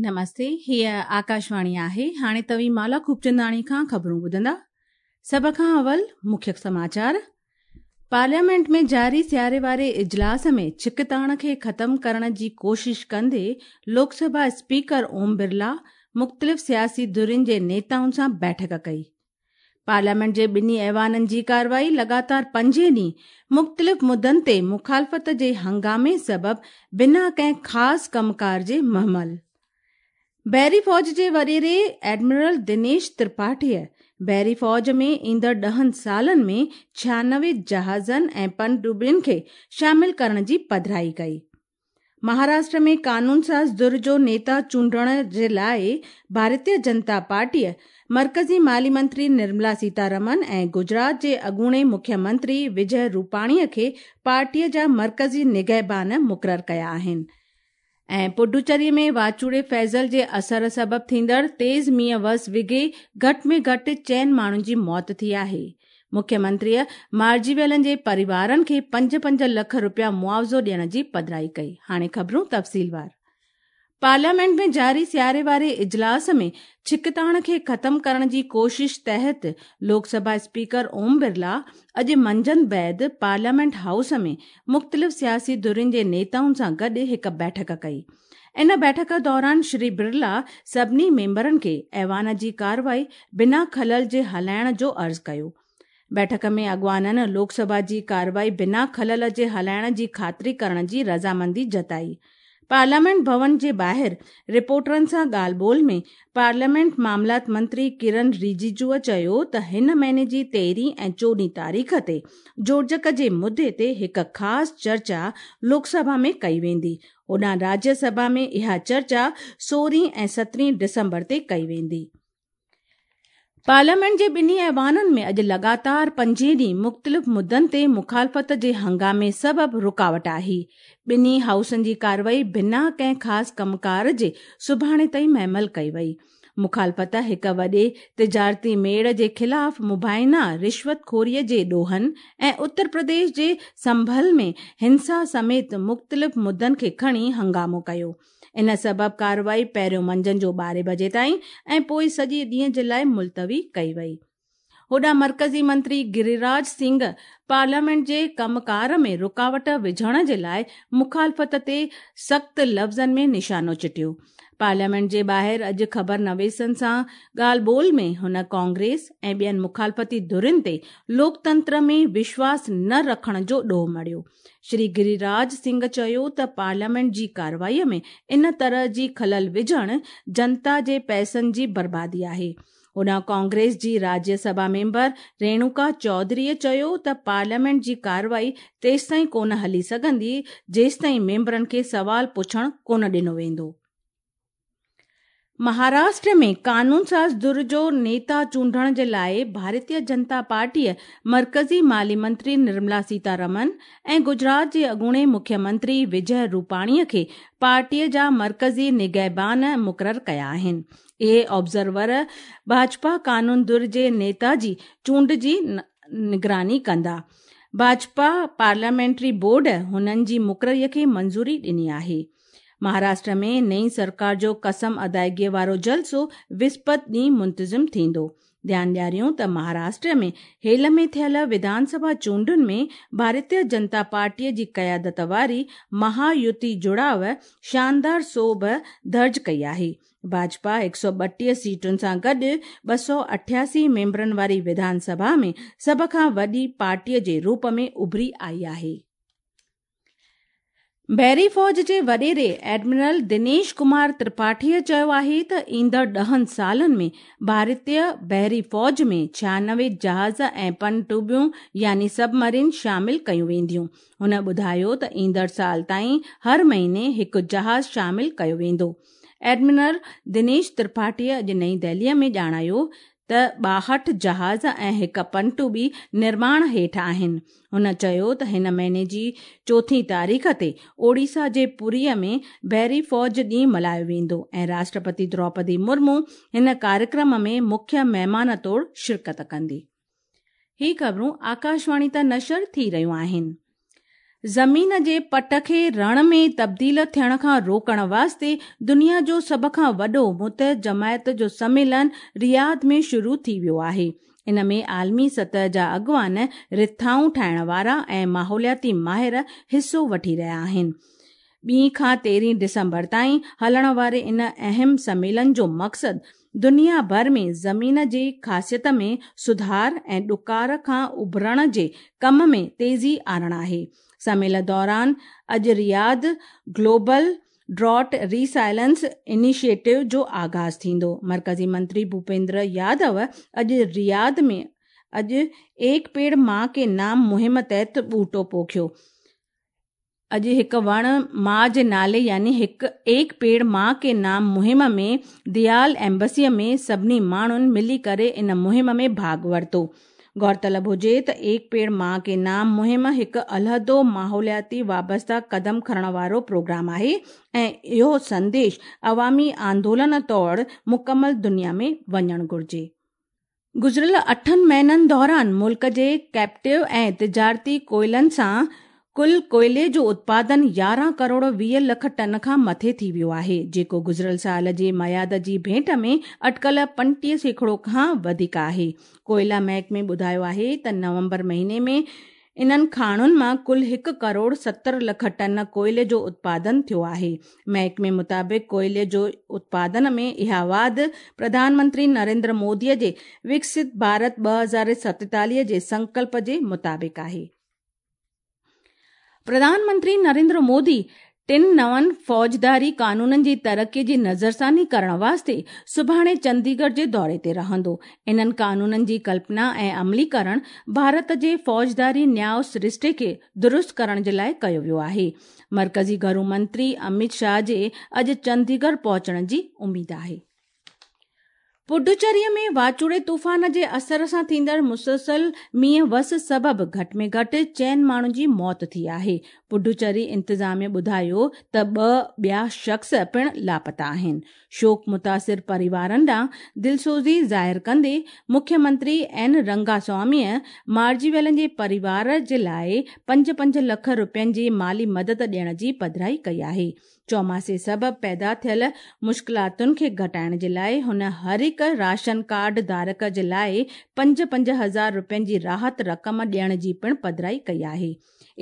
نمستي، هيء آڪاشواڻي آهي. هاڻي توهين مالا خوبچنداڻي کان خبرون ٻڌندا. سڀ کان اول مکيه سماچار. پارليامينٽ ۾ جاري سياري واري اجلاس ۾ ڇڪتاڻ کي ختم ڪرڻ جي ڪوشش ڪندي لوڪ سڀا اسپيڪر اوم برلا مختلف سياسي ڌرين جي نيتائن سان بيٺڪ ڪئي. پارليامينٽ جي ٻنهي ايوانن جي ڪارروائي لڳاتار پنجين ڏينهن مختلف مدن تي مخالفت جي هنگامي سبب بنا ڪنهن خاص ڪم ڪار جي مهمل. بحري فوج جي وڏيري ايڊمرل دنيش ترپاٺيء بحري فوج ۾ ايندڙ ڏهن سالن ۾ 96 جهازن ۽ پڻ ڊٻين کي شامل ڪرڻ جي پڌرائي ڪئي. مهاراشٽر ۾ قانونساز ڌر جو نيتا چونڊڻ جي لاء ڀارتيه جنتا پارٽيء مرڪزي مالي منتري نرملا سيتارمن ۽ گجرات جي اڳوڻي مکيه منتري وجئه روپاڻيء کي پارٽيء جا مرڪزي نگهبان مقرر ڪيا آهن ۽ پڊوچيري ۾ واچوڙي فيضل جي اثر سبب ٿيندڙ تيز مينهن وس وگهي گهٽ ۾ گهٽ چئن ماڻهن جي موت ٿي آهي. مکيه منتريء مارجي ويلن جي پريوارن کي پنج پنج لک رپيا معاوضو ڏيڻ جي پڌرائي ڪئي. هاڻي خبرون تفصيلوار. پارليامينٽ ۾ جاري سياري واري اجلاس ۾ ڇڪتاڻ کي ختم ڪرڻ جي ڪوشش تحت لوڪ سڀا اسپيڪر اوم برلا اڄ منجهند بعد پارليامينٽ هائوس ۾ مختلف سياسي ڌرين جي نيتائن سان گڏ هڪ بيٺڪ ڪئي. ان بيٺڪ دوران شري برلا سڀني ميمبرن کي ايوان جي ڪارروائي بنا خلل جي هلائڻ جو عرض ڪيو. بيٺڪ ۾ اڳواڻن لوڪ سڀا جي ڪارروائي بنا خلل جي هلائڻ جي خاطري ڪرڻ جي رضامندي جتائي. پارليامينٽ ڀون جي ٻاهر رپورٽرن سان ڳالهه ٻولهه ۾ پارليامينٽ معاملات منتري ڪرن رجيجوء چيو ته هن مهيني جي تيرهين ۽ چوڏهين تاريخ تي جوڙجڪ جي مدي تي هڪ خاص چرچا لوڪ سڀا ۾ ڪئي ويندي هوڏانهن راجيه سڀا ۾ اها چرچا سورهين ۽ سترهين ڊسمبر تي ڪئي ويندي. پارليامينٽ جي ٻنهي ايوانن ۾ اڄ لڳاتار پنجين ڏينهن مختلف مدن تي مخالفت جي هنگامي سبب رڪاوٽ آهي. ٻنهي هائوسن جي ڪارروائي بنا ڪنهن خاص ڪم ڪار جي سڀاڻي تائين مهمل ڪئي وئي. مخالفت هڪ وڏي تجارتي ميڙ جي خلاف مبينا رشوت خوري جي ڏوهن ۽ اتر پرديش جي سنڀل ۾ هنسا سميت مختلف مدن کي کڻي هنگامو ڪيو. ان سبب ڪارروائي پهريون منجهند جو ٻارهين بجي تائين ۽ پوء سڄي ڏينهن جي لاء ملتوي ڪئي وئي. هوڏانهن مرڪزي منتري گريراج سنگهه پارليامينٽ جي ڪم ڪار ۾ رڪاوٽ وجهڻ جي لاء مخالفت تي سخت لفظن ۾ نشانو چٽيو. پارليامينٽ جي ٻاهر اڄ خبر نويسن سان ڳالهه ٻولهه ۾ هن ڪانگريس ۽ ٻين مخالفتي ڌرين تي لوڪتنتر ۾ وشواس نه رکڻ جو ڏوهه مڙهيو. شري گريراج سنگهه چيو ته پارليامينٽ جي ڪارروائي ۾ ان طرح جي خلل وجهڻ جنتا جي پئسن جي بربادي آهي. هوڏانهن ڪانگريس جي راجيه سڀا ميمبر ريڻوڪا چوڌريء چيو ته پارليامينٽ جي ڪارروائي تيستائين ڪونه هلي سگهندي جيستائين ميمبرن کي سوال پڇڻ ڪونه ڏنو ويندو. مهاراشٽر ۾ قانونساز ڌر جو نيتا چونڊڻ جي لاء ڀارتيه جنتا پارٽيء مرڪزي مالي منتري نرملا سيتارمن ۽ گجرات جي اڳوڻي مکيه منتري وجئه روپاڻيء کي پارٽيء جا مرڪزي نگهبان مقرر ڪيا آهن. اهي آبزرور ڀاجپا قانون ڌر جي نيتا جي چونڊ جي نگراني ڪندا. ڀاجپا پارليامينٽري بورڊ هنن جي مقرري کي منظوري ڏني آهي. مهاراشٽر ۾ نئين سرڪار جو قسم ادائگي وارو جلسو وسپت ڏينهن منتظم ٿيندو. ڌيان ڏياريون ته مهاراشٽر ۾ هيل ۾ ٿيل وڌان سڀا چونڊن ۾ ڀارتيه جنتا پارٽيء جي قيادت واري مها يوتي جڙاء شاندار سوڀ درج ڪئي آهي. ڀاجپا 132 سيٽن سان گڏ 288 ميمبرن واري وڌان سڀا ۾ سڀ کان وڏي پارٽيء جي روپ ۾ اڀري آئي آهي. بحري فوج جي وڏيري ايڊمرل دنيش ڪمار ترپاٺيء چيو آهي ته ايندڙ ڏهن سالن ۾ ڀارتي بحري فوج ۾ 96 جهاز ۽ پڻ ڊٻيون يعني سب مرين شامل ڪيون وينديون. هن ٻڌايو ته ايندڙ سال تائين هر مهيني هڪ جهاز شامل ڪيو ويندو. ايڊمرل دنيش ترپاٺيء اڄ نئين دهليء ۾ ڄاڻايو ته 62 جهاز ۽ هڪ پنٽوٻي نرماڻ هيٺ آهن. هن چيو ته هن مهيني جي چوٿين تاريخ تي اوڙيسا جي پوريء ۾ بحري فوج ڏينهن ملهايو ويندو ۽ راشٽرپتي دروپدي مرمو هن ڪاريڪرم ۾ مکيه مهمان طور شرڪت ڪندي. هي خبرون آڪاشواڻي تان نشر ٿي رهيون آهن. زمين جي پٽ کي رڻ ۾ تبديل ٿيڻ کان روڪڻ واسطي دنيا جو سڀ کان وڏو متحد جماعت جو سميلن رياض ۾ شروع ٿي ويو آهي. ان ۾ عالمي سطح جا اڳواڻ، رٿائون ٺاهڻ وارا ۽ ماحولياتي ماهر حصو وٺي رهيا آهن. ٻي کان تيرهين ڊسمبر تائين هلڻ واري ان اهم سميلن جو مقصد دنيا ڀر ۾ زمين جي خاصيت ۾ سڌار ۽ ڏڪار کان اڀرڻ جي ڪم ۾ تيزي آڻڻ آهي. سميل دوران اڄ Riyadh global drought resilience initiative جو آغاز ٿيندو. مرڪزي منتري ڀوپيندر يادو اڄ رياض ۾ اڄ ايڪ پيڙ مان ڪي نام مهم تحت ٻوٽو پوکيو. اڄ هڪ وڻ ماء جي نالي يعني هڪ ايڪ پيڙ مان ڪي نام مهم ۾ ديال ايمبسيء ۾ سڀني ماڻهن ملي ڪري ان مهم ۾ ڀاڳ ورتو. غور طلب هجي ته ايڪ پيڙ مان ڪي نام مهم هڪ علحدو ماحولياتي وابسته قدم کڻڻ وارو پروگرام آهي ۽ اهو سنديش عوامي آندولن طور مڪمل دنيا ۾ وڃڻ گهرجي. گذريل اٺن مهينن دوران ملڪ جي ڪيپٽو ۽ تجارتي ڪوئلن سان ڪل ڪوئلي جو اتپادن 11 ڪروڙ 20 لک ٽن کان مٿي ٿي ويو آهي، جيڪو گذريل سال جي ميعاد جي ڀيٽ ۾ اٽڪل 35% کان وڌيڪ آهي. ڪوئلا محڪمي ٻڌايو آهي ته نومبر مهيني ۾ انهن کاڻن مان ڪل هڪ ڪروڙ 70 لک ٽن ڪوئلي جو اتپادن ٿيو آهي. محڪمي مطابق ڪوئلي جو اتپادن ۾ اها واڌ پرڌان منتري نريندر مودي جي وڪست ڀارت 2047 جي سنڪلپ جي مطابق آهي. پرڌان منتري نريندر مودي ٽن نون فوجداري قانونن جي ترقي جي نظرثاني ڪرڻ واسطي سڀاڻي چنديڳڙهه جي دوري تي رهندو. انهن قانونن جي ڪلپنا ۽ عملي ڪرڻ ڀارت جي فوجداري نياء سرشتي کي درست ڪرڻ جي لاء ڪيو ويو آهي. مرڪزي گهرو منتري اميت شاهه جي اڄ چنديڳڙهه پهچڻ جي اميد آهي. پڊوچيري ۾ واچوڙي طوفان جي اثر سان ٿيندڙ مسلسل مينهن وس سبب گهٽ ۾ گهٽ چئن ماڻهن جي موت ٿي آهي. پڊوچيري انتظاميه ٻڌايو ته ٻه ٻيا شخص پڻ لاپتا آهن. شوڪ متاثر پريوارن ڏانهن دلسوزي ظاهر ڪندي مکيه منتري اين رنگاسواميء مارجي ويلن جي پريوار جي لاء پنج پنج لک رپين جي مالي مدد ڏيڻ جي پڌرائي ڪئي آهي. چوماسي سبب پيدا ٿيل مشڪلاتن کي گهٽائڻ جي لاء هن هر هڪ راشن ڪارڊ ڌارڪ جي لاء پنج پنج هزار رپين جي راحت رقم ڏيڻ جي پڻ پڌرائي ڪئي آهي.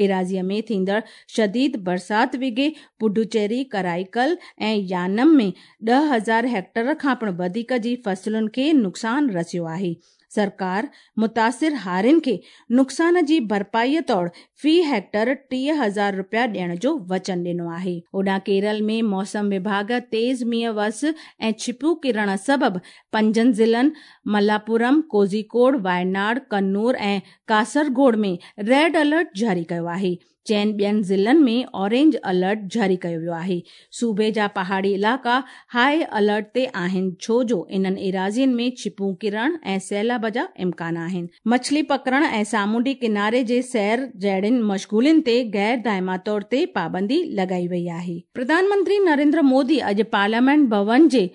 ايراضيء ۾ ٿيندڙ شديد برسات وگهي پڊوچيري، ڪرائيڪل ۽ يانم ۾ 10,000 هيڪٽر کان پڻ وڌيڪ جي فصلن کي نقصان رسيو آهي. سرڪار متاثر هارين کي نقصان جي ڀرپائي طور في هيڪٽر 30,000 رپيا ڏيڻ جو وچن ڏنو آهي. هوڏانهن ڪيرل ۾ موسم وڀاڳ تيز مينهن وس ۽ ڇپون ڪرڻ سبب پنجن ضلعن ملاپورم، ڪوزيڪوڊ، وايناڊ، ڪنور ۽ ڪاسرگوڊ ۾ ريڊ الرٽ جاري ڪيو آهي. چئن ٻين ضلعن ۾ اورينج الرٽ جاري ڪيو ويو آهي. صوبي جا پهاڙي علائقا هاء الرٽ تي آهن ڇو جو انهن ايراضين ۾ ڇپون ڪرڻ ۽ سيلاب جا امڪان آهن. مڇلي پڪڙڻ ۽ سامونڊي ڪناري جي سير جهڙين مشغولين تي غير دائما طور تي پابندي لڳائي وئي آهي. پرڌان منتري نريندر مودي اڄ پارليامينٽ ڀون جي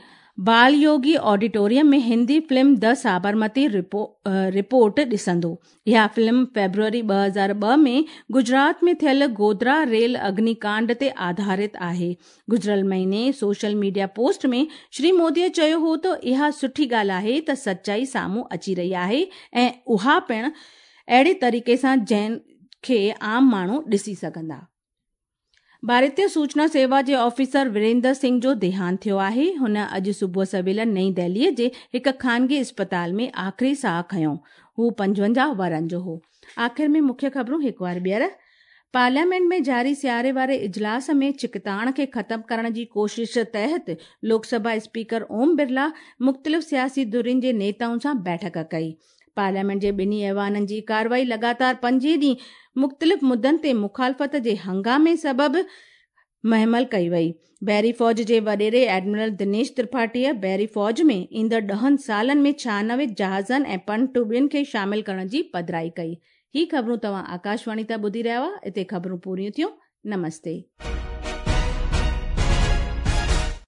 Bal Yogi auditorium ۾ Hindi film the Sabarmati report ڏسندو. اها فلم فيبروري 2002 ۾ گجرات ۾ ٿيل گوڌرا ريل اگني ڪانڊ تي آڌارت آهي. گذريل مهيني social media post ۾ Shri Modi چيو هو ته اها سٺي ڳالهه آهي ته سچائي سامهون اچي رهي آهي ۽ اها پڻ اهڙي طريقي سان جنهن کي عام ماڻهو ڏسي سگهندا. ڀارتيه سوچنا سيوا جي آفيسر وريندر سنگهه جو ديهانت ٿيو آهي. هن اڄ صبح سويل نئين دهليء جي هڪ خانگي اسپتال ۾ آخري ساهه کنيو. هو 55 ورهن جو هو. آخر ۾ مکيه خبرون هڪ وار ٻيهر. پارليامينٽ ۾ جاري سياري واري اجلاس ۾ ڇڪتاڻ کي ختم ڪرڻ جي ڪوشش تحت لوڪ سڀا اسپيڪر اوم برلا مختلف سياسي ڌرين جي نيتائن سان بيٺڪ ڪئي. پارليامينٽ جي ٻنهي ايوانن جي ڪارروائي لڳاتار پنجين ڏينهن مختلف مدن تي مخالفت جي هنگامي سبب مهمل ڪئي وئي. بحري فوج جي وڏيري ايڊمرل دنيش ترپاٺيء بحري فوج ۾ ايندڙ ڏهن سالن ۾ 96 جهازن ۽ پنٽوٻين کي شامل ڪرڻ جي پڌرائي ڪئي. هي خبرون توهان آڪاشواڻي تان ٻڌي رهيا هئا. اتي خبرون پوريون ٿيون. نمستي.